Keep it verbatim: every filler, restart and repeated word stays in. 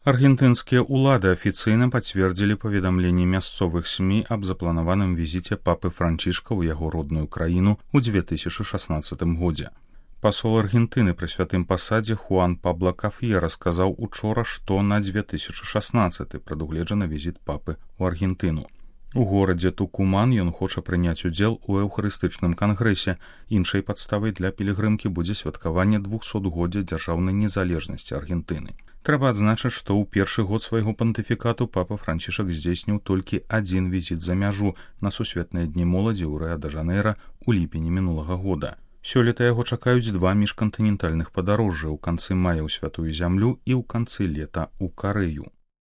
Аргентынскія ўлады афіцыйна пацвердзілі паведамленні мясцовых СМІ аб запланаваным візіце папы Франчішка ў яго родную краіну ў дзве тысячы шаснаццатым годзе. Пасол Аргентыны пры святым пасадзе Хуан Пабло Кафьера сказаў учора, што на дзве тысячы шаснаццаты прадугледжаны візіт папы ў Аргентыну. У горадзе Тукуман ён хоча прыняць удзел у эўхарыстычным кангрэсе. Іншай падставай для пілігрымкі будзе святкаванне двухсотгоддзя дзяржаўнай незалежнасці Аргентыны. Трэба адзначыць, што ў першы год свайго пантыфікату папа Франчішак здзейсніў толькі адзін візіт за мяжу на сусветныя дні моладзі ў Рыа-дэ-Жанэйра ў ліпені мінулага года. Сёлета яго чакаюць два міжкантынентальных падарожжа ў канцы мая ў святую зямлю і ў канцы лета ў Карэю.